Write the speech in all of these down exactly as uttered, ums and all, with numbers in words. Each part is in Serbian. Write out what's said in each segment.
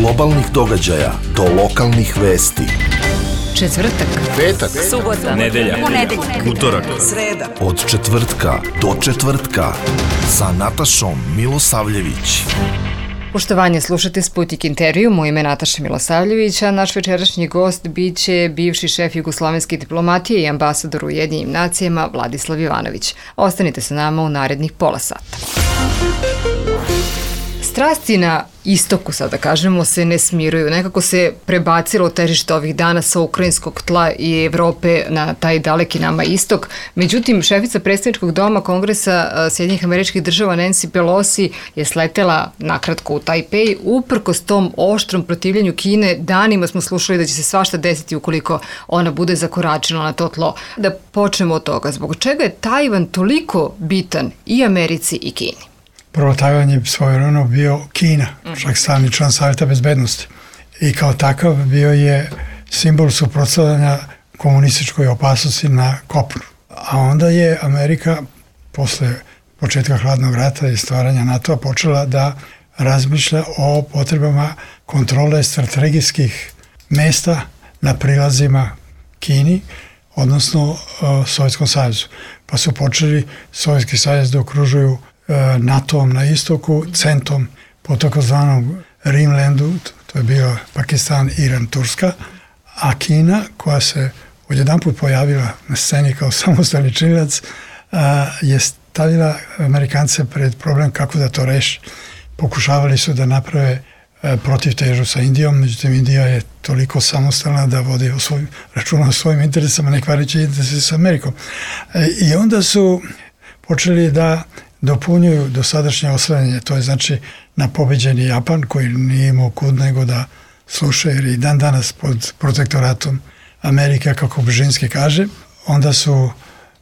globalnih događaja do lokalnih vesti. Četvrtak, petak, subota, nedelja, ponedeljak, utorak, sreda. Od četvrtka do četvrtka sa Natašom Milosavljević. Poštovanje, slušate Sputnik intervju, moje ime je Nataša Milosavljević, a naš večerašnji gost biće bivši šef jugoslovenske diplomatije i ambasador u Ujedinjenim nacijama Vladislav Jovanović. Ostanite sa nama u narednih pola sata. Strasti na istoku, sada kažemo, se ne smiruju. Nekako se prebacilo težište ovih dana sa ukrajinskog tla i Evrope na taj daleki nama istok. Međutim, šefica predstavničkog doma Kongresa Sjedinjenih Američkih Država Nancy Pelosi je sletela nakratko u Tajpej. Uprkos tom oštrom protivljenju Kine, danima smo slušali da će se svašta desiti ukoliko ona bude zakoračila na to tlo. Da počnemo od toga. Zbog čega je Tajvan toliko bitan i Americi i Kini? Prvo, Tajvan je svojevremeno bio Kina, čak stalni član Savjeta bezbednosti. I kao takav bio je simbol suprotstavljanja komunističkoj opasnosti na kopnu. A onda je Amerika, posle početka hladnog rata i stvaranja NATO-a, počela da razmišlja o potrebama kontrole strategijskih mesta na prilazima Kini, odnosno Sovjetskom savezu. Pa su počeli Sovjetski savez da okružuju NATO-om na istoku, centom po takozvanom Rimlandu, to je bio Pakistan, Iran, Turska, a Kina, koja se odjedanput pojavila na sceni kao samostalni činilac, je stavila Amerikance pred problem kako da to reši. Pokušavali su da naprave protivtežu sa Indijom, međutim Indija je toliko samostalna da vodi o svojim, računa o svojim interesama, ne kvarići interese sa Amerikom. I onda su počeli da dopunjuju dosadašnje oslanjanje, to je znači na pobeđeni Japan koji nije imao kud nego da sluša, jer i dan danas pod protektoratom Amerike, kako Bržinski kaže. Onda su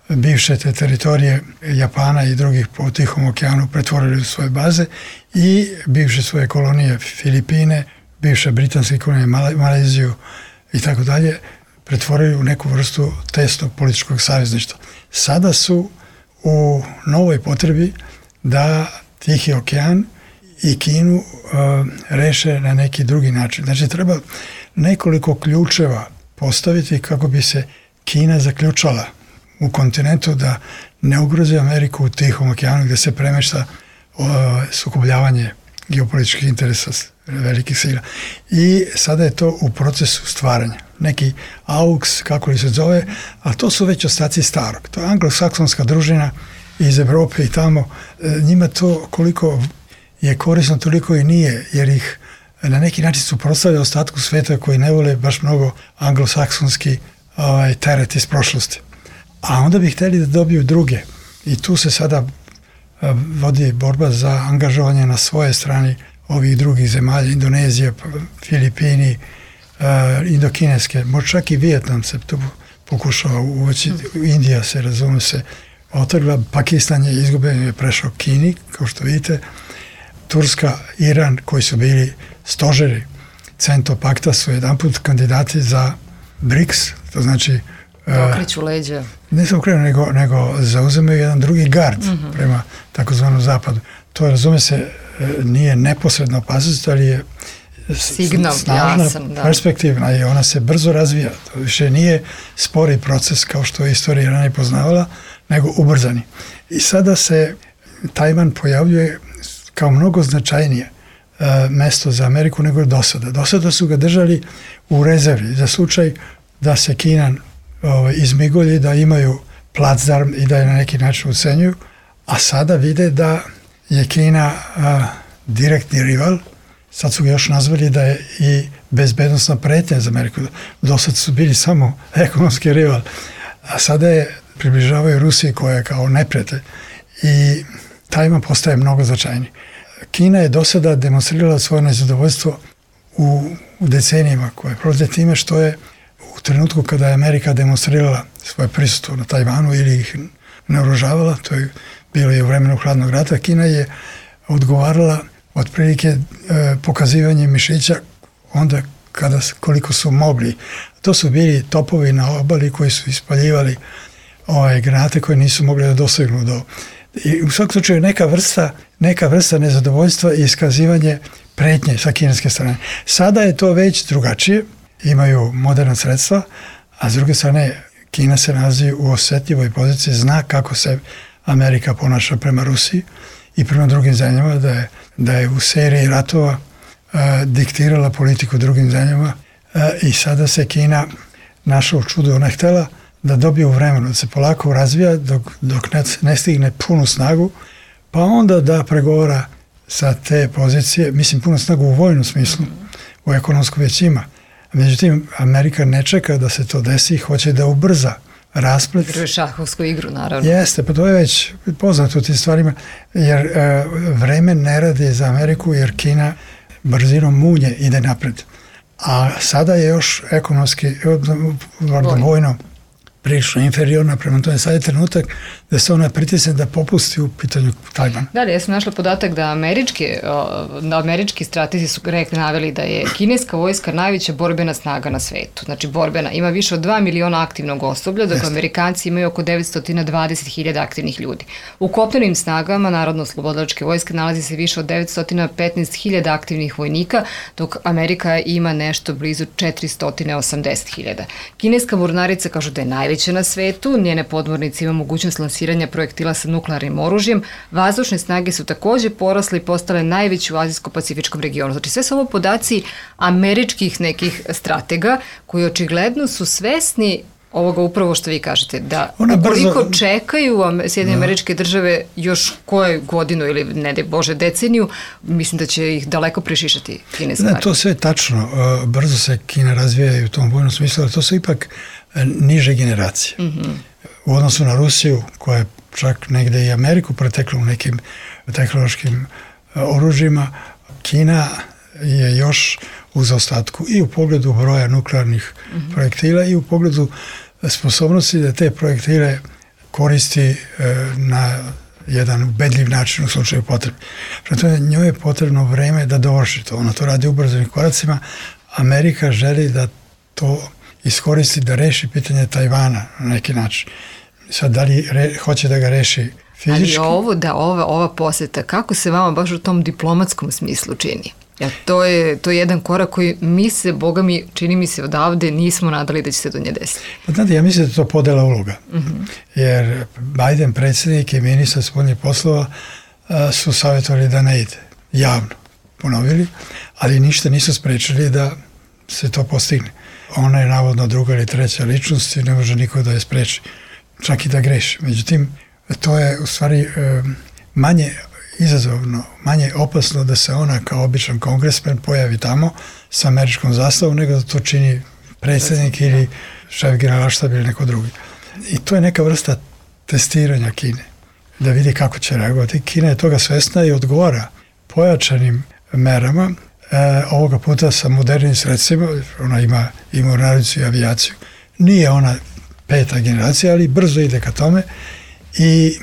bivše te teritorije Japana i drugih po Tihom okeanu pretvorili u svoje baze i bivše svoje kolonije Filipine, bivše britanske kolonije Maleziju i tako dalje pretvorili u neku vrstu tesnog političkog savezništva. Sada su u novoj potrebi da Tihi okean i Kinu uh, reše na neki drugi način. Znači, treba nekoliko ključeva postaviti kako bi se Kina zaključala u kontinentu, da ne ugrozi Ameriku u Tihom okeanu gdje se premešta uh, sukobljavanje geopolitičkih interesa velikih sila. I sada je to u procesu stvaranja. Neki AUKS, kako li se zove, ali to su već ostaci starog. To je anglosaksonska družina iz Evrope i tamo. Njima to koliko je korisno, toliko i nije, jer ih na neki način suprotstavlja ostatku sveta koji ne vole baš mnogo anglosaksonski ovaj, teret iz prošlosti. A onda bi htjeli da dobiju druge. I tu se sada vodi borba za angažovanje na svoje strani ovih drugih zemalja, Indonezija, Filipini, Uh, indokineske, možda čak i Vijetnam se tu pokušava uvoći, Indija se, razume se, otrgla, Pakistan je izgubljen, je prešao Kini, kao što vidite, Turska, Iran, koji su bili stožeri Cento pakta, su jedanput kandidati za BRICS, to znači okreću leđa. Ne samo okreću, nego, nego zauzemaju jedan drugi gard mm-hmm. prema takozvanom zapadu. To, razume se, nije neposredna opasnost, ali je signal, snažna, jasan, da. Perspektivna i ona se brzo razvija. To više nije spori proces kao što je istorija ranije poznavala, nego ubrzani. I sada se Tajvan pojavljuje kao mnogo značajnije uh, mesto za Ameriku nego do sada. Do sada su ga držali u rezervi za slučaj da se Kina uh, izmigolji, da imaju placdarm i da je na neki način ucenjuju, a sada vide da je Kina uh, direktni rival. Sad su ga još nazvali da je i bezbednostna pretnja za Ameriku. Do sad su bili samo ekonomski rival. A sada je približavaju Rusiji koja je kao neprijatelj. I Tajvan postaje mnogo značajniji. Kina je do sada demonstrirala svoje nezadovoljstvo u, u decenijima koje prolaze time što je u trenutku kada je Amerika demonstrirala svoje prisustvo na Tajvanu ili ih naoružavala, to je bilo i u vremenu hladnog rata, Kina je odgovarala otprilike e, pokazivanje mišića onda kada, koliko su mogli. To su bili topovi na obali koji su ispaljivali ove granate koje nisu mogli da dosegnu do... I u svakom slučaju neka vrsta, neka vrsta nezadovoljstva i iskazivanje pretnje sa kineske strane. Sada je to već drugačije, imaju moderna sredstva, a s druge strane Kina se nalazi u osetljivoj poziciji, zna kako se Amerika ponaša prema Rusiji i prema drugim zemljama, da je, da je u seriji ratova uh, diktirala politiku drugim zemljama uh, i sada se Kina našla u čudu, ona je htela da dobije u vremenu, da se polako razvija dok, dok ne, ne stigne punu snagu, pa onda da pregovara sa te pozicije, mislim punu snagu u vojnom smislu, u ekonomsku već ima. Međutim, Amerika ne čeka da se to desi, hoće da ubrza rasplet. Igruje šahovsku igru, naravno. Jeste, pa to je već poznato u tim stvarima, jer e, vreme ne radi za Ameriku, jer Kina brzinom munje ide napred. A sada je još ekonomski, vojno, prilično inferiorna, prema tome sad je trenutak da se ona pritisne da popusti u pitanju Tajvana. Da li, ja sam našla podatak da američki, da američki stratezi su rekli, naveli da je kineska vojska najveća borbena snaga na svetu. Znači borbena, ima više od dva miliona aktivnog osoblja, dok Jeste. Amerikanci imaju oko devetsto dvadeset hiljada aktivnih ljudi. U kopnenim snagama Narodno-slobodilačke vojske nalazi se više od devetsto petnaest hiljada aktivnih vojnika, dok Amerika ima nešto blizu četiristo osamdeset hiljada. Kineska mornarica kažu da je najveća na svetu, njene podmornice ima mogućnost lansiranja projektila sa nuklearnim oružjem, vazdušne snage su takođe porasle i postale najveći u azijsko-pacifičkom regionu. Znači sve su ovo podaci američkih nekih stratega koji očigledno su svesni ovoga upravo što vi kažete, da ukoliko brzo... čekaju Sjedinjene Američke Države još koju godinu ili ne daj Bože deceniju, mislim da će ih daleko prešišati kineska armija. To sve je tačno. Brzo se Kina razvija u tom vojnom smislu, ali to su ipak niže generacije. Mm-hmm. U odnosu na Rusiju, koja je čak negde i Ameriku pretekla u nekim tehnološkim oružjima, Kina je još u zaostatku i u pogledu broja nuklearnih mm-hmm. projektila i u pogledu sposobnosti da te projektile koristi e, na jedan ubedljiv način u slučaju potrebe. Prema njoj je potrebno vreme da dovrši to. Ona to radi ubrzanim koracima. Amerika želi da to iskoristi da reši pitanje Tajvana na neki način. Sad, da li re, hoće da ga reši fizički? Ali ovo, da, ova, ova poseta, kako se vama baš u tom diplomatskom smislu čini? Ja, to je, to je jedan korak koji mi se, Boga mi, čini mi se odavde, nismo nadali da će se do nje desiti. Pa znate, ja mislim da je to podela uloga. Mm-hmm. Jer Biden, predsjednik i ministar spoljnih poslova a, su savjetovali da ne ide. Javno ponovili, ali ništa nisu sprečili da se to postigne. Ona je navodno druga ili treća ličnost i ne može niko da je spreči. Čak i da greši. Međutim, to je u stvari e, manje izazovno, manje opasno da se ona kao običan kongresmen pojavi tamo sa američkom zastavom, nego da to čini predsjednik ili šef generalštaba ili neko drugi. I to je neka vrsta testiranja Kine, da vidi kako će reagovati. Kina je toga svesna i odgovara pojačanim merama, e, ovoga puta sa modernim sredstvima. Ona ima i mornaricu i avijaciju. Nije ona peta generacija, ali brzo ide ka tome i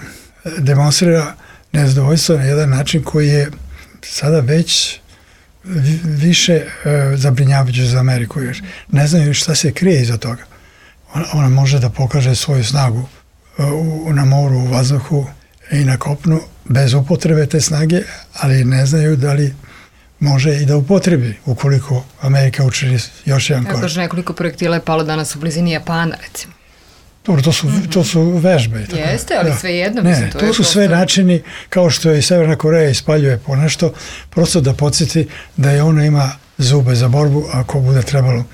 demonstrira nezadovoljstvo na jedan način koji je sada već više e, zabrinjavajući za Ameriku, jer ne znaju šta se krije iza toga. Ona, ona može da pokaže svoju snagu e, u, na moru, u vazduhu i na kopnu bez upotrebe te snage, ali ne znaju da li može i da upotrebi ukoliko Amerika učini još jedan korak. Kažu, nekoliko projektila je palo danas u blizini Japana, recimo. Dobro, to su, to su vežbe. Tako. Jeste, ali da. Sve jedno. Ne, mislim, to, to je su sve posto... načini, kao što je i Severna Koreja ispaljuje po nešto, prosto da podsjeti da je ona ima zube za borbu ako bude trebalo.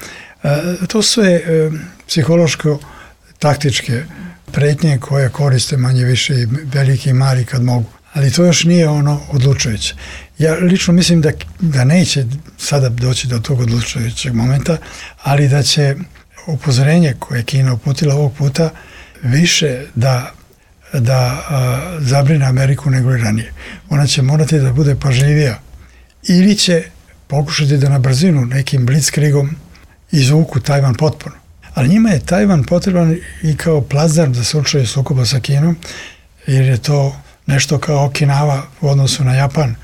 E, to su sve e, psihološko-taktičke pretnje koje koriste manje više i veliki i mali kad mogu. Ali to još nije ono odlučujuće. Ja lično mislim da, da neće sada doći do tog odlučujućeg momenta, ali da će upozorenje koje je Kina uputila ovog puta više da, da a, zabrine Ameriku nego i ranije. Ona će morati da bude pažljivija ili će pokušati da na brzinu nekim blitzkriegom izvuku Tajvan potpuno. Ali njima je Tajvan potreban i kao plazdarm za slučaj sukoba sa Kinom, jer je to nešto kao Okinawa u odnosu na Japan,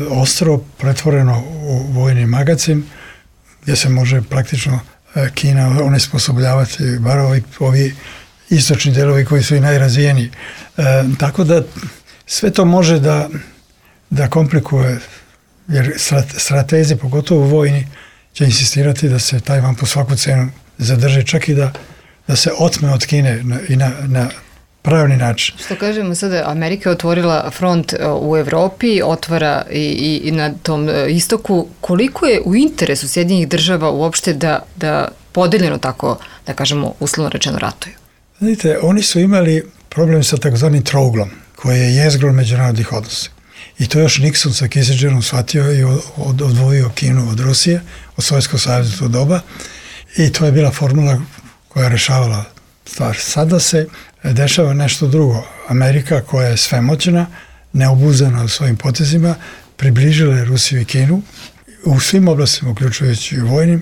ostrvo pretvoreno u vojni magacin gdje se može praktično Kina onesposobljavati, bar ovi, ovi istočni delovi koji su i najrazvijeniji. E, tako da sve to može da, da komplikuje jer stratezi, pogotovo vojni, će insistirati da se Tajvan po svaku cenu zadrži, čak i da, da se otme od Kine na, i na, na pravilni način. Što kažemo sada, Amerika je otvorila front u Evropi, otvara i, i, i na tom istoku. Koliko je u interesu Sjedinjenih država uopšte da, da podeljeno tako, da kažemo, uslovno rečeno ratuju? Vidite, oni su imali problem sa takozvanim trouglom, koji je jezgro međunarodnih odnosa. I to još Nixon sa Kissingerom shvatio i od, odvojio Kinu od Rusije, od Sovjetskog saveza to doba. I to je bila formula koja je rešavala stvar. Sada se dešava nešto drugo. Amerika, koja je svemoćna, neobuzana u svojim potezima, približila je Rusiju i Kinu u svim oblastima, uključujući i vojnim.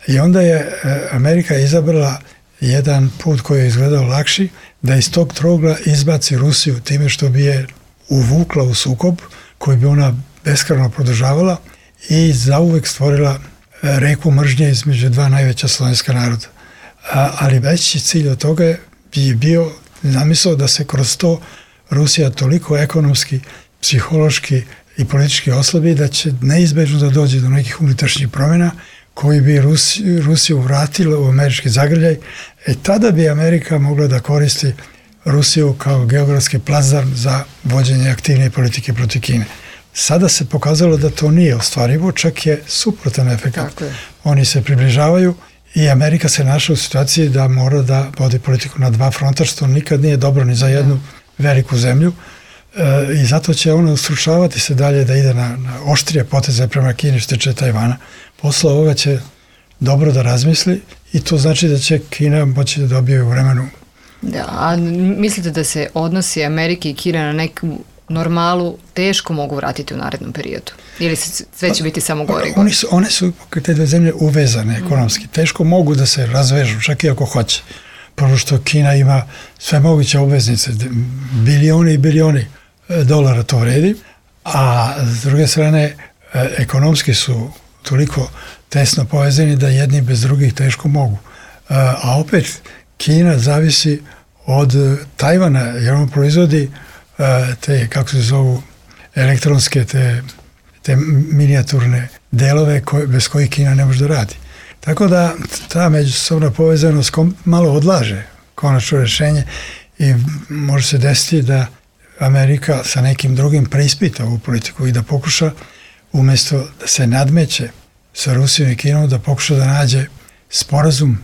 I onda je Amerika izabrala jedan put koji je izgledao lakši, da iz tog trougla izbaci Rusiju time što bi je uvukla u sukob koji bi ona beskrajno produžavala i zauvek stvorila reku mržnje između dva najveća slovenska naroda. A, ali veći cilj od toga je bio zamisao da se kroz to Rusija toliko ekonomski, psihološki i politički oslabi da će neizbežno da dođe do nekih unutrašnjih promjena koji bi Rusiju, Rusiju vratila u američki zagrljaj. E tada bi Amerika mogla da koristi Rusiju kao geografski plazdarm za vođenje aktivne politike protiv Kine. Sada se pokazalo da to nije ostvarivo, čak je suprotan efekt. Oni se približavaju i Amerika se našla u situaciji da mora da vodi politiku na dva fronta, što nikad nije dobro ni za jednu veliku zemlju. E, I zato će ona ustručavati se dalje da ide na, na oštrije poteze prema Kini što tiče Tajvana. Posle ovoga će dobro da razmisli i to znači da će Kina moći da dobije u vremenu. Da, a mislite da se odnosi Amerike i Kina na neku normalu teško mogu vratiti u narednom periodu? Ili se sve će biti samo gore? Oni su, one su, te dve zemlje, uvezane ekonomski. Teško mogu da se razvežu, čak i ako hoće. Prvo što Kina ima sve moguće obveznice, bilioni i bilioni dolara to vredi, a s druge strane ekonomski su toliko tesno povezani da jedni bez drugih teško mogu. A opet Kina zavisi od Tajvana, jer on proizvodi te, kako se zovu, elektronske, te, te minijaturne delove koje, bez kojih Kina ne može da radi. Tako da ta međusobna povezanost malo odlaže konačno rešenje i može se desiti da Amerika sa nekim drugim preispita ovu politiku i da pokuša, umjesto da se nadmeće sa Rusijom i Kinom, da pokuša da nađe sporazum,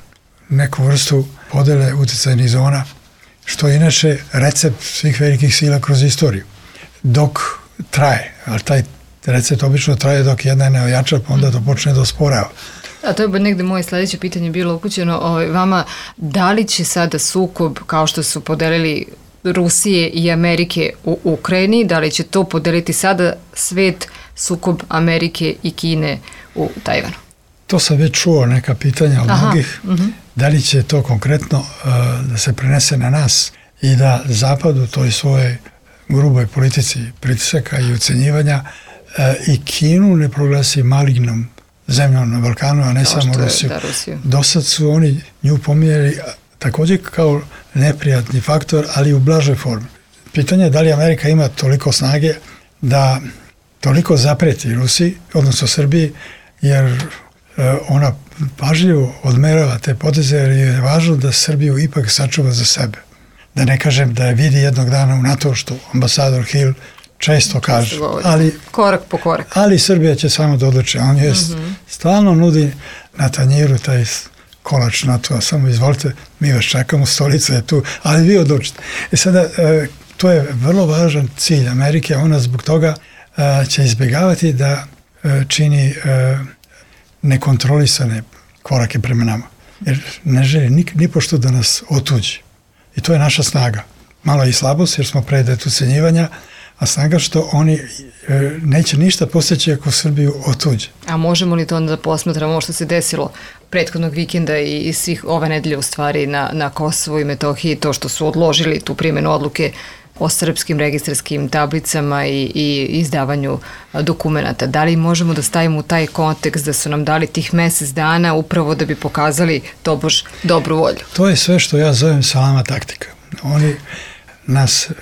neku vrstu podele uticajnih zona, što je inače recept svih velikih sila kroz istoriju. Dok traje, ali taj recept obično traje dok jedna ne ojača, pa onda to počne da osporava. A to je negde moje sledeće pitanje bilo upućeno ovaj, vama, da li će sada sukob, kao što su podelili Rusije i Amerike u Ukrajini, da li će to podeliti sada svet, sukob Amerike i Kine u Tajvanu? To sam već čuo neka pitanja od Aha, mnogih. uh-huh. Da li će to konkretno uh, da se prenese na nas i da Zapad u toj svojoj gruboj politici pritisaka i ucenjivanja uh, i Kinu ne proglasi malignom zemljom na Balkanu, a ne kao samo Rusiju. Da, Rusiju. Do sad su oni nju pominjali također kao neprijatni faktor, ali u blažoj formi. Pitanje je da li Amerika ima toliko snage da toliko zapreti Rusiji, odnosno Srbiji, jer ona pažljivo odmerava te poteze, jer je važno da Srbiju ipak sačuva za sebe. Da ne kažem da je vidi jednog dana u NATO, što ambasador Hill često kaže. Ali, korak po korak. Ali Srbija će samo da odluči. On je mm-hmm. stalno nudi na tanjiru taj kolač NATO-a. Samo izvolite, mi vas čekamo, stolica je tu, ali vi odlučite. I sada, to je vrlo važan cilj Amerike, ona zbog toga će izbjegavati da čini nekontrolisane korake prema nama. Jer ne želi ni, ni pošto da nas otuđi. I to je naša snaga. Malo i slabost jer smo predet ucenjivanja, a snaga što oni e, neće ništa postići ako Srbiju otuđe. A možemo li to onda da posmatramo ovo što se desilo prethodnog vikenda i, i svih ove nedelje u stvari na, na Kosovu i Metohiji, to što su odložili tu primjenu odluke o srpskim registarskim tablicama i, i izdavanju dokumenata. Da li možemo da stavimo u taj kontekst da su nam dali tih mesec dana upravo da bi pokazali tobož dobru volju? To je sve što ja zovem salama taktika. Oni nas uh,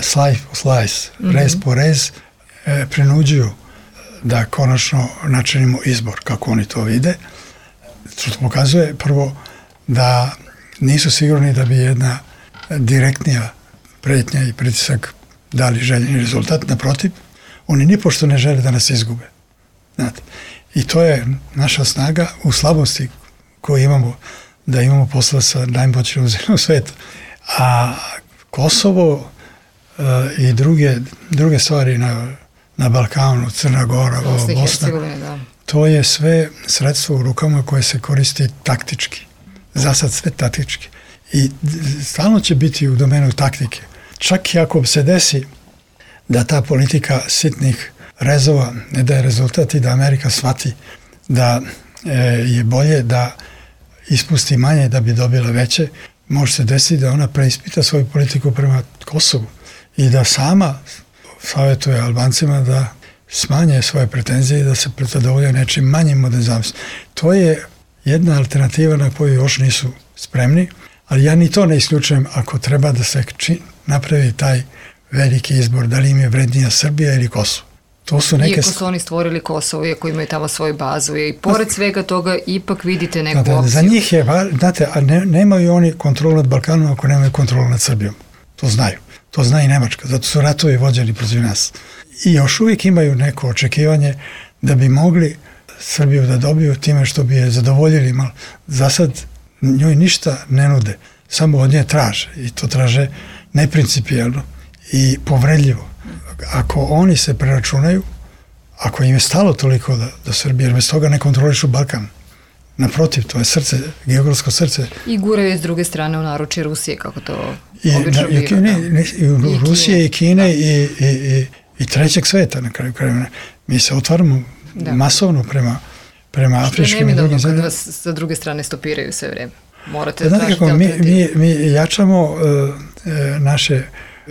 slice po slice, mm-hmm. rez po rez uh, prinuđuju da konačno načinimo izbor kako oni to vide. Što to pokazuje prvo da nisu sigurni da bi jedna direktnija pretnja i pritisak dali željeni rezultat. Naprotiv, oni nipošto ne žele da nas izgube. Znate. I to je naša snaga u slabosti koju imamo, da imamo posla sa najmoćnijom zemljom sveta. A Kosovo uh, i druge, druge stvari na, na Balkanu, Crna Gora, Bosna, Bosna da. To je sve sredstvo u rukama koje se koristi taktički. Za sad sve taktički. I stalno će biti u domenu taktike. Čak i ako se desi da ta politika sitnih rezova ne daje rezultat i da Amerika shvati da e, je bolje da ispusti manje da bi dobila veće, može se desiti da ona preispita svoju politiku prema Kosovu i da sama savjetuje Albancima da smanje svoje pretenzije i da se zadovolje nečim manjim od nezavisnosti. To je jedna alternativa na koju još nisu spremni, ali ja ni to ne isključujem ako treba da se či, napravi taj veliki izbor, da li im je vrednija Srbija ili Kosovo. To su neke... Iako su oni stvorili Kosovo, iako imaju tamo svoju bazu i pored svega toga ipak vidite neku da, da, opciju. Za njih je, znate, a ne, nemaju oni kontrolu nad Balkanom ako nemaju kontrolu nad Srbijom. To znaju. To zna i Nemačka, zato su ratovi vođeni protiv nas. I još uvijek imaju neko očekivanje da bi mogli Srbiju da dobiju time što bi je zadovoljili malo. Za sad njoj ništa ne nude, samo od nje traže i to traže neprincipijelno i povredljivo. Ako oni se preračunaju, ako im je stalo toliko da, da Srbija, jer bez toga ne kontrolišu Balkan. Naprotiv, to je srce, geografsko srce. I guraju s druge strane u naručje Rusije, kako to I, obično na, biva. I, Kine, ne, i, i Rusije i Kine da. i, i, i, i trećeg sveta na kraju krajeva. Mi se otvaramo da. masovno prema, prema afričkim i drugim zemljama. Kad vas sa druge strane stopiraju sve vreme. Morate da tražiti kako, mi, alternativu. mi, mi jačamo uh, naše,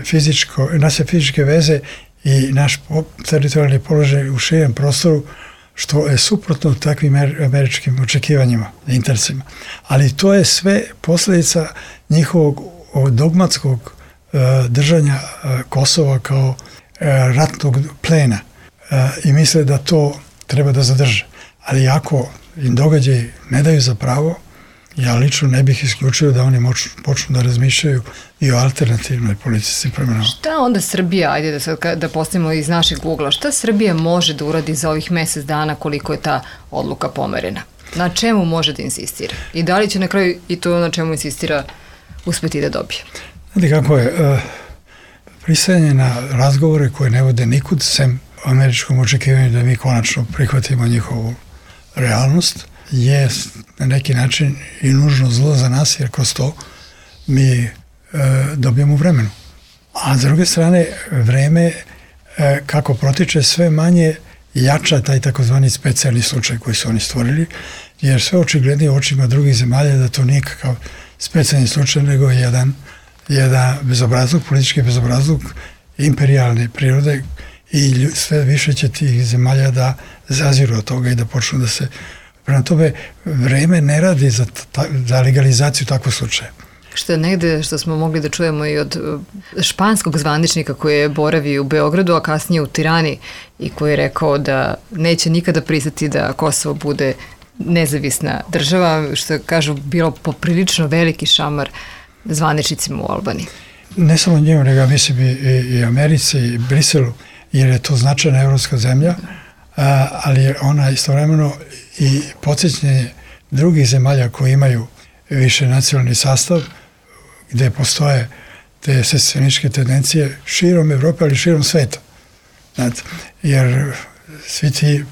fizičko, naše fizičke veze i naš teritorijalni položaj u širem prostoru, što je suprotno takvim američkim očekivanjima, interesima. Ali to je sve posljedica njihovog dogmatskog uh, držanja uh, Kosova kao uh, ratnog plena uh, i misle da to treba da zadrže. Ali ako im događaji ne daju za pravo, ja lično ne bih isključio da oni moč, počnu da razmišljaju i o alternativnoj politici prema nama. Šta onda Srbija, ajde da, sad, da postavimo iz našeg ugla, šta Srbija može da uradi za ovih mjesec dana koliko je ta odluka pomerena? Na čemu može da insistira? I da li će na kraju i to na čemu insistira uspeti da dobije? Znate kako je, uh, pristajanje na razgovore koje ne vode nikud, sem američkom očekivanju da mi konačno prihvatimo njihovu realnost, je na neki način i nužno zlo za nas, jer kroz to mi e, dobijemo vremenu. A s druge strane, vreme e, kako protiče sve manje jača taj takozvani specijalni slučaj koji su oni stvorili, jer sve očiglednije u očima drugih zemalja da to nije kakav specijalni slučaj, nego jedan, jedan bezobrazluk, politički bezobrazluk imperijalne prirode i sve više će tih zemalja da zaziru od toga i da počnu da se... Prema tome, vreme ne radi za, ta, za legalizaciju takvog slučaja. Što je negde što smo mogli da čujemo i od španskog zvaničnika koji je boravio u Beogradu, a kasnije u Tirani i koji je rekao da neće nikada pristati da Kosovo bude nezavisna država, što je, kažu, bilo poprilično veliki šamar zvaničnicima u Albaniji. Ne samo njemu, nego mislim i, i Americi i Briselu, jer je to značajna evropska zemlja, a, ali je ona istovremeno i podsjećanje drugih zemalja koji imaju više nacionalni sastav, gde postoje te secesionističke tendencije širom Evrope, ali širom sveta. Znate, jer svi ti e,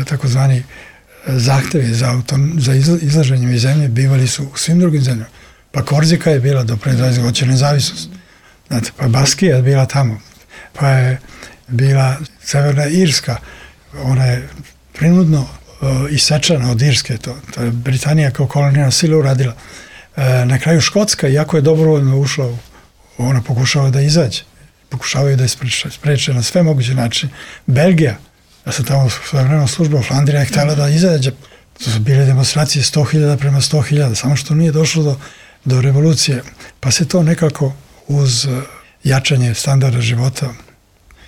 takozvani zahtevi za, auton, za izlaženjem iz zemlje bivali su u svim drugim zemljama. Pa Korzika je bila do pre dvadeset godina nezavisnost. Znate, pa Baskija je bila tamo. Pa je bila Severna Irska. Ona je prinudno uh, isečana od Irske. To, to je Britanija kao kolonijalna sila uradila. Uh, na kraju Škotska, iako je dobrovoljno ušla, u, ona pokušava da izađe. Pokušavaju da je spreče, spreče na sve moguće načine. Belgija, ja sam tamo svojevremeno služba, Flandrija je htjela da izađe. To su bile demonstracije sto hiljada prema sto hiljada, samo što nije došlo do, do revolucije. Pa se to nekako uz jačanje standarda života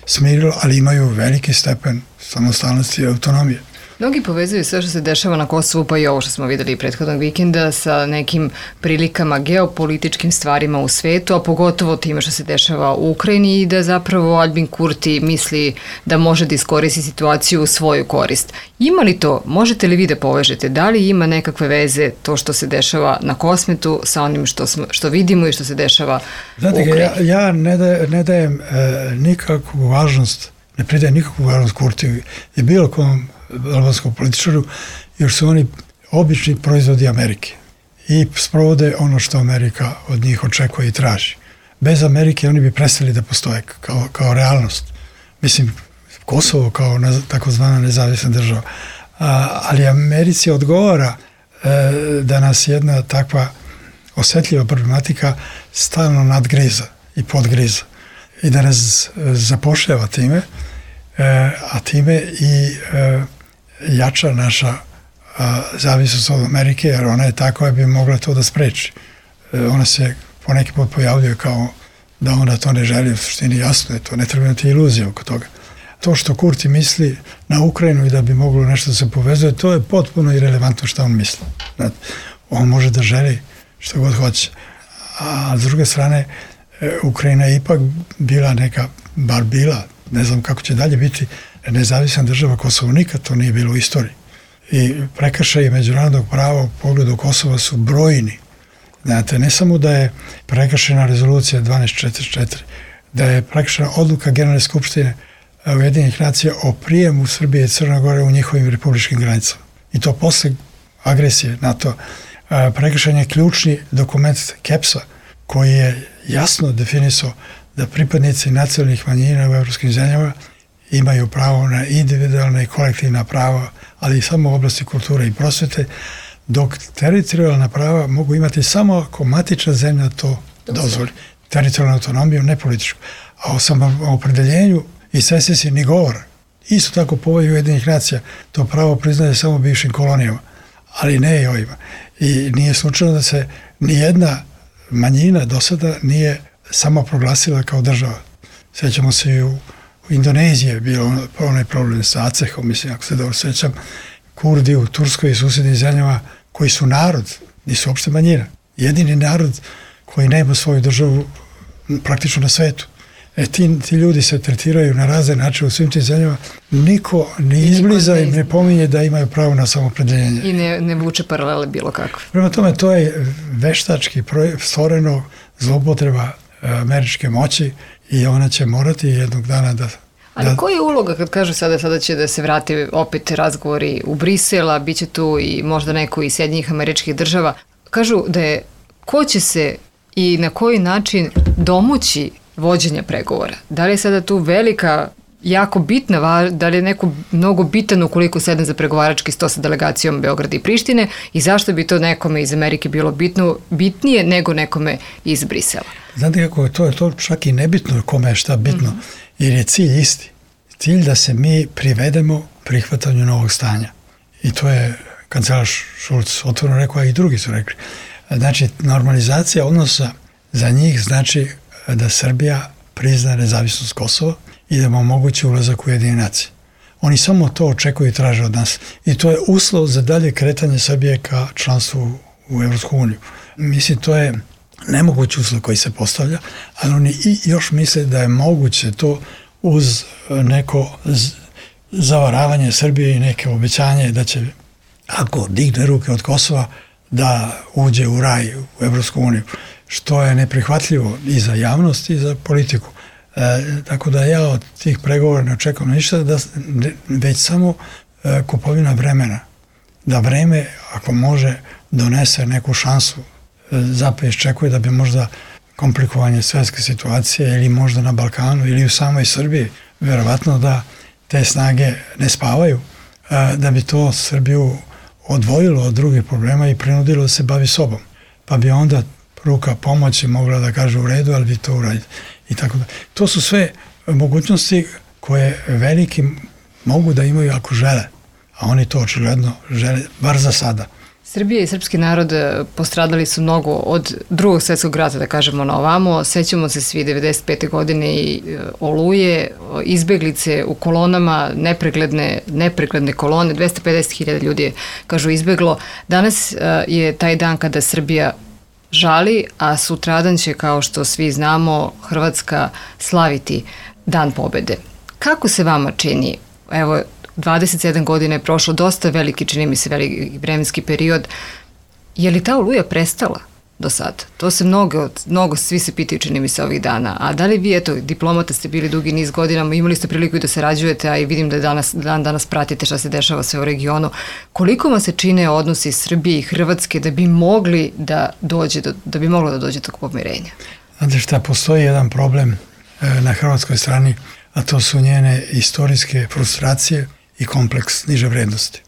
smirilo, ali imaju veliki stepen samostalnosti i autonomije. Mnogi povezuju sve što se dešava na Kosovu, pa i ovo što smo videli prethodnog vikenda, sa nekim prilikama geopolitičkim stvarima u svetu, a pogotovo time što se dešava u Ukrajini i da zapravo Aljbin Kurti misli da može da iskoristi situaciju u svoju korist. Ima li to, možete li vi da povežete, da li ima nekakve veze to što se dešava na Kosmetu sa onim što, smo, što vidimo i što se dešava Znate, u Ukrajini? Ja, ja ne, da, ne dajem e, nikakvu važnost, ne pridajem nikakvu važnost Kurtiju i bilo kom albanskom političaru, jer su oni obični proizvodi Amerike i sprovode ono što Amerika od njih očekuje i traži. Bez Amerike oni bi prestali da postoje kao, kao realnost. Mislim, Kosovo kao nez, takozvana nezavisna država. A, ali Americi odgovara e, da nas jedna takva osetljiva problematika stalno nadgriza i podgriza i da nas zapošljava time, e, a time i e, jača naša a, zavisnost od Amerike, jer ona je tako da bi mogla to da spreči. E, ona se poneki put pojavljuje kao da ona to ne želi, u suštini jasno je to, ne treba imati iluzije oko toga. To što Kurti misli na Ukrajinu i da bi moglo nešto da se povezuje, to je potpuno irelevantno što on misli. Znate, on može da želi što god hoće. A s druge strane, e, Ukrajina je ipak bila neka, bar bila, ne znam kako će dalje biti, nezavisna država. Kosovo nikad to nije bilo u istoriji. I prekršaji međunarodnog prava u pogledu Kosova su brojni. Znate, ne samo da je prekršena rezolucija dvanaest četrdeset četiri, da je prekršena odluka Generalne skupštine Ujedinjenih nacija o prijemu Srbije i Crne Gore u njihovim republičkim granicama. I to posle agresije NATO. Prekršen je ključni dokument KEPS-a koji je jasno definisao da pripadnici nacionalnih manjina u evropskim zemljama imaju pravo na individualna i kolektivna prava, ali i samo u oblasti kulture i prosvete, dok teritorijalna prava mogu imati samo ako matična zemlja to dozvoli. Teritorijalnu autonomiju, ne političku. A o samoopredeljenju i secesiji ni govora. Isto tako Povelja Ujedinjenih nacija to pravo priznaje samo bivšim kolonijama, ali ne i ovima. I nije slučajno da se nijedna manjina do sada nije samo proglasila kao država. Sjećamo se i u, u Indoneziji je bilo onaj problem sa Acehom, mislim, ako se dobro sjećam, Kurdi u Turskoj i susjednim zemljama koji su narod, nisu uopšte manjina. Jedini narod koji nema svoju državu praktično na svetu. E, ti, ti ljudi se tretiraju na razne načine u svim tim zemljama. Niko ni izbliza im ne pominje da imaju pravo na samopredeljenje. I ne, ne vuče paralele bilo kako. Prema tome, to je veštački stvoreno zloupotreba američke moći i ona će morati jednog dana da... Ali da... koja je uloga kad kažu sada, sada će da se vrati opet razgovori u Brisela, bit će tu i možda neko iz Sjedinjenih Američkih Država. Kažu da je ko će se i na koji način domoći vođenja pregovora. Da li je sada tu velika, jako bitna, da li je neko mnogo bitan ukoliko sedne za pregovarački sto sa delegacijom Beograda i Prištine i zašto bi to nekome iz Amerike bilo bitno, bitnije nego nekome iz Brisela? Znate kako je to, je to čak i nebitno kome je šta bitno, mm-hmm. jer je cilj isti. Cilj da se mi privedemo prihvatanju novog stanja. I to je kancelar Šulc otvoreno rekao, a i drugi su rekli. Znači, normalizacija odnosa za njih znači da Srbija prizna nezavisnost Kosova i da mu omogući ulazak u Ujedinjene nacije. Oni samo to očekuju i traže od nas. I to je uslov za dalje kretanje Srbije ka članstvu u Evropsku uniju. Mislim, to je nemogući uslov koji se postavlja, ali oni i još misle da je moguće to uz neko zavaravanje Srbije i neke obećanje da će, ako digne ruke od Kosova, da uđe u raj u Evropsku uniju, što je neprihvatljivo i za javnost i za politiku. E, tako da ja od tih pregovora ne očekujem ništa, da, ne, već samo e, kupovina vremena. Da vreme, ako može, donese neku šansu. E, Zapad iščekuje da bi možda komplikovanje svetske situacije ili možda na Balkanu ili u samoj Srbiji, verovatno da te snage ne spavaju, e, da bi to Srbiju odvojilo od drugih problema i prinudilo da se bavi sobom. Pa bi onda ruka pomoći mogla da kaže u redu, ali vi to uradite. I tako da. To su sve mogućnosti koje veliki mogu da imaju ako žele. A oni to očigledno žele, bar za sada. Srbija i srpski narod postradali su mnogo od drugog svjetskog rata, da kažemo na ovamo. Sećamo se svi devedeset pete godine i Oluje, izbeglice u kolonama, nepregledne, nepregledne kolone, dvesta pedeset hiljada ljudi je, kažu, izbeglo. Danas je taj dan kada Srbija žali, a sutradan će, kao što svi znamo, Hrvatska slaviti Dan pobede. Kako se vama čini, evo, dvadeset sedam godina je prošlo, dosta veliki, čini mi se, veliki vremenski period. Je li ta Oluja prestala do sad? To se mnogo, mnogo svi se pitaju, čini mi se, ovih dana. A da li vi, eto, diplomata ste bili dugi niz godinama, imali ste priliku i da sarađujete, a i vidim da danas, dan danas pratite šta se dešava sve u regionu. Koliko vam se čine odnosi Srbije i Hrvatske da bi mogli da dođe, do, da bi moglo da dođe do pomirenja? Znate šta, postoji jedan problem na hrvatskoj strani, a to su njene istorijske frustracije i kompleks niže vrednosti.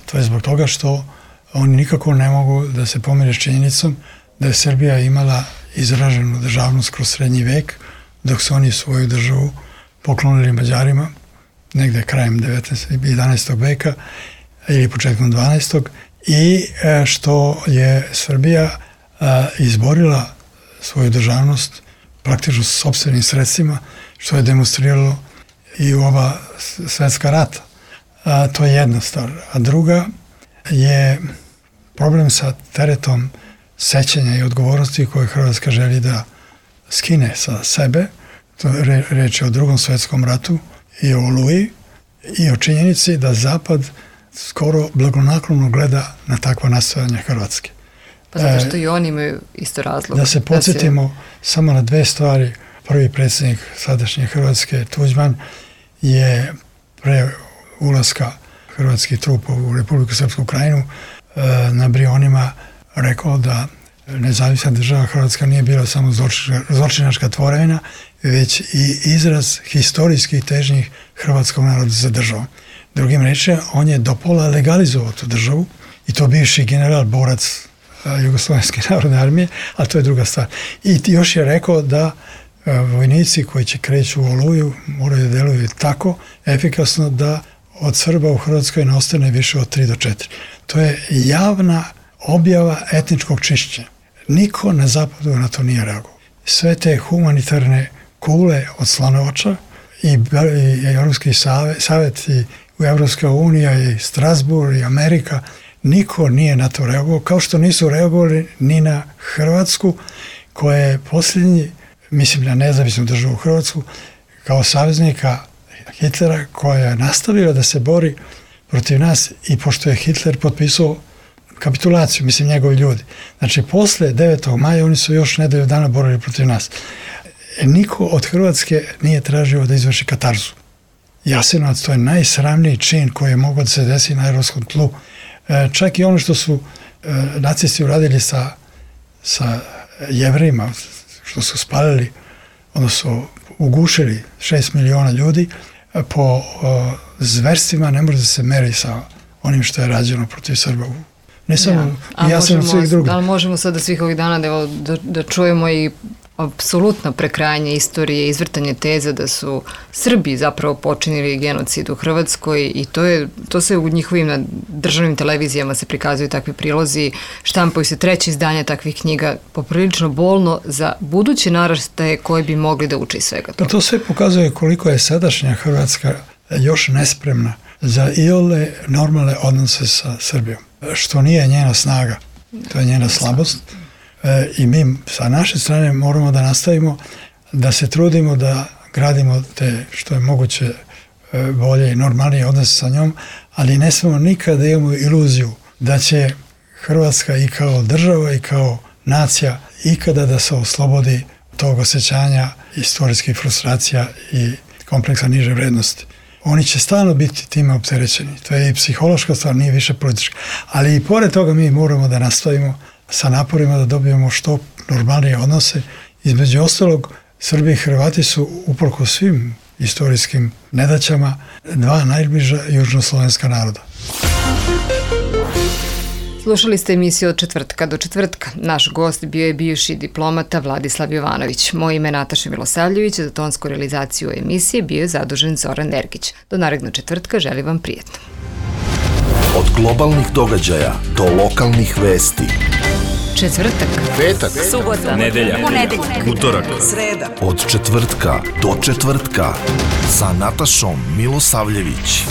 To je zbog toga što oni nikako ne mogu da se pomire s činjenicom da je Srbija imala izraženu državnost kroz srednji vek, dok su oni svoju državu poklonili Mađarima negde krajem devetnaestog i jedanaestog veka ili početkom dvanaestog i što je Srbija izborila svoju državnost praktično s sopstvenim sredstvima, što je demonstriralo i u oba svetska rata. A, to je jedna stvar. A druga je problem sa teretom sećanja i odgovornosti koje Hrvatska želi da skine sa sebe. To je re, reč je o drugom svetskom ratu i o Oluji i o činjenici da Zapad skoro blagonaklono gleda na takva nastojanja Hrvatske. Pa zato što e, i oni imaju isto razlog. Da se podsjetimo da se... samo na dve stvari. Prvi predsjednik sadašnje Hrvatske, Tuđman, je pre ulaska hrvatskih trupa u Republiku Srpsku Krajinu na Brionima rekao da nezavisna država Hrvatska nije bila samo zločinačka tvorevina, već i izraz historijskih težnjih hrvatskog naroda za državom. Drugim rečima, on je do pola legalizovao tu državu i to bivši general, borac Jugoslovenske narodne armije, ali to je druga stvar. I još je rekao da vojnici koji će kreću u Oluju moraju da deluju tako efikasno da od Srba u Hrvatskoj ne ostane više od tri do četiri. To je javna objava etničkog čišćenja. Niko na zapadu na to nije reagovao. Sve te humanitarne kule od Slanovača i, i Evropski savjet i Evropska unija i Strasbourg i Amerika, niko nije na to reagovao, kao što nisu reagovali ni na Hrvatsku, koja je posljednji, mislim na nezavisnu državu Hrvatsku, kao saveznika Hitlera, koja je nastavila da se bori protiv nas i pošto je Hitler potpisao kapitulaciju, mislim njegovi ljudi. Znači, posle devetog maja oni su još nedelju dana borili protiv nas. E, niko od Hrvatske nije tražio da izvrši katarzu. Jasenovac, to je najsramniji čin koji je mogao da se desi na evropskom tlu. E, čak i ono što su e, nacisti uradili sa, sa Jevrejima, što su spalili, odnosno ugušili šest miliona ljudi, po o, zverstvima ne može da se meri sa onim što je rađeno protiv Srba. Ne samo ja, ja sam svih drugih. Da li možemo sada svih ovih dana da, da, da čujemo i apsolutno prekrajanje istorije, izvrtanje teza da su Srbi zapravo počinili genocid u Hrvatskoj i to je to se u njihovim na državnim televizijama se prikazuju takvi prilozi, štampaju se treće izdanje takvih knjiga, poprilično bolno za buduće naraštaje koji bi mogli da uče iz svega toga. To sve pokazuje koliko je sadašnja Hrvatska još nespremna za iole normalne odnose sa Srbijom, što nije njena snaga, to je njena slabost. E, i mi sa naše strane moramo da nastavimo da se trudimo da gradimo te što je moguće e, bolje i normalnije odnose sa njom, ali ne smemo nikada imamo iluziju da će Hrvatska i kao država i kao nacija ikada da se oslobodi tog osjećanja istorijskih frustracija i kompleksa niže vrednosti. Oni će stalno biti time opterećeni. To je i psihološka stvar, nije više politička. Ali i pored toga mi moramo da nastavimo sa naporima da dobijemo što normalnije odnose. Između ostalog, Srbi i Hrvati su uprkos svim istorijskim nedaćama dva najbliža južnoslovenska naroda. Slušali ste emisiju od četvrtka do četvrtka. Naš gost bio je bivši diplomata Vladislav Jovanović. Moje ime je Nataša Milosavljević, za tonsku realizaciju emisije bio je zadužen Zoran Ergić. Do narednog četvrtka želim vam prijetno. Od globalnih događaja do lokalnih vesti. Četvrtak, Petak, subota, nedelja, ponedeljak, utorak, sreda. od četvrtka do četvrtka sa Natašom Milosavljević.